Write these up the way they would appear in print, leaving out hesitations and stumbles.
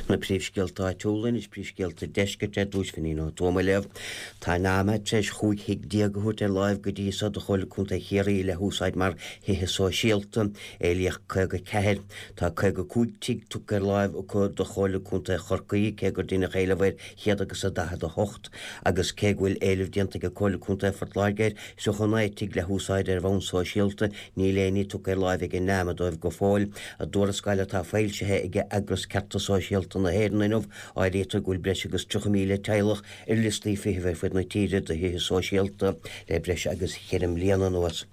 Na príomhscéalta áitiúla anois, príomhscéalta deiscirt ar dtús, Finín Ó Tuama ag léamh. Tá an NAMA tar éis 15 thigh a thabhairt ar láimh go dtí so do Chomhairle Contae Chiarraí le húsáid mar thithe sóisialta. Éilíodh 54. Tá 55 tigh tugtha ar láimh acu do Chomhairle Contae Chorcaí, cé gur deineadh éileamh ar chéad agus a 48, agus cé go bhfuil éileamh déanta ag Comhairle Contae Phort Láirge ar 39 tigh le húsáid ar bhonn sóisialta, níl aon ní tugtha ar láimh ag an NAMA dóibh go fóill. I dtuarascáil atá foilsithe ag eagras Cearta Sóisialta na hÉireann inniu, áirítear go bhfuil breis agus 30,000 teaghlach ar liostaí feithimh ar fud na tíre do thithe sóisialta le breis agus cheithre mbliana anuas.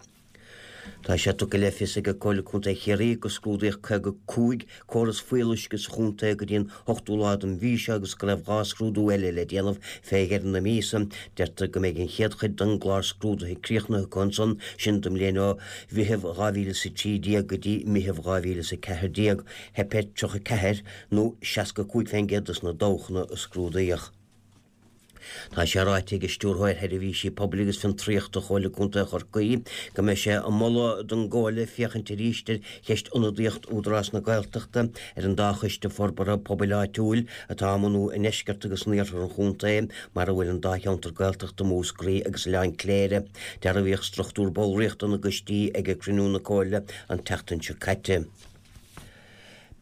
Tá sé tugtha le fios ag Comhairle Contae Chiarraí gur scrúdaíodh 55 córas fuíolluisce sa chontae go dtí an 8ú lá den mhí seo agus go raibh 2 scrúdú eile le déanamh fé dheireadh na míosa. Deirtear go mbeidh an chéad chuid den gclár scrúdaithe críochnaithe acu ansan, sin don mbliain ó Mheitheamh 2013 go dtí Meitheamh 2014. Theip ar 34 nó 65 fén gcéad dos na dabhchanna a scrúdaíodh. Tá sé ráite ag Stiúrthóir Sheirbhísí Pobail agus Fiontraíochta Chomhairle Contae Chorcaí go mbeidh sé ag moladh don gComhairle féachaint arís ar cheist ionadaíocht Údarás na Gaeltachta ar an dá choiste forbartha pobail áitiúil atá á mbunú i ndeisceart agus in iarthar an chontae, mar a bhfuil an dá cheantar Gaeltachta, Múscraí agus Oileán Cléire. Dearbhaíodh struchtúr ballraíochta na gcoistí ag cruinniú na Comhairle an tseachtain seo caite.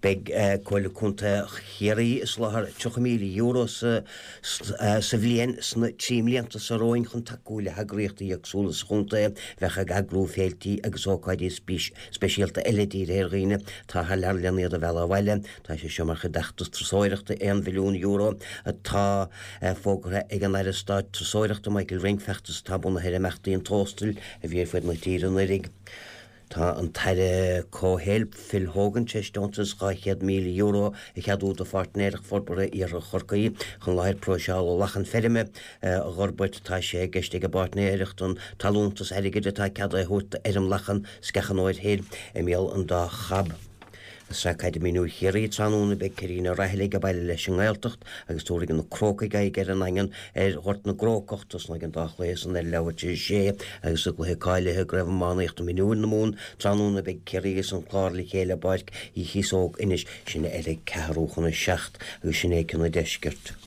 Beidh Comhairle Contae Chiarraí ag soláthar €30,000 sa bhliain sna 3 mblianta seo romhainn chun tacú le heagraíochtaí éagsúla sa chontae a bheadh ag eagrú féiltí agus ócáidí speisialta eile dírithe ar dhaoine atá thar lear lena iad a mhealladh abhaile. Tá sé seo mar chuid d'fheachtas turasóireachta €1 mhilliún atá fógartha ag an Aire Stáit Turasóireachta Michael Ring, feachtas atá bunaithe ar imeachtaí an Tóstail a bhí ar fud na tíre anuraidh. Tá an tAire Comhshaoil Phil Hogan tar éis deontas €200,000 a cheadú do Pháirtnéireacht Forbartha Iarthar Chorcaí chun láthair próiseála lachan feirme a fhorbairt. Tá sé i gceist ag an bpáirtnéireacht an t-allúntas airgid atá ceadaithe a thabhairt d'fheirm lachan Sceach an Fhóid Thoir i mBéal an Dá Chab. I Sraith Caide Mionúir Chiarraí tráthnóna beidh Ciarraí na Raghallaigh ag baile leis an nGaeltacht agus tabharfaidh na Crócaigh aghaidh ar an nDaingean ar Ghort na gCrócach. Tosnóidh an dá chluiche san ar leathuair tar éis a sé agus i gcluiche cáilithe i gCraobh Iománaíochta Mionúir na Mumhan tráthnóna beidh Ciarraí agus an Clár le chéile i bPáirc Uí Chíosóg, Inis, sin ar a ceathrú chun a 7 agus sin é cionn an deiscirt.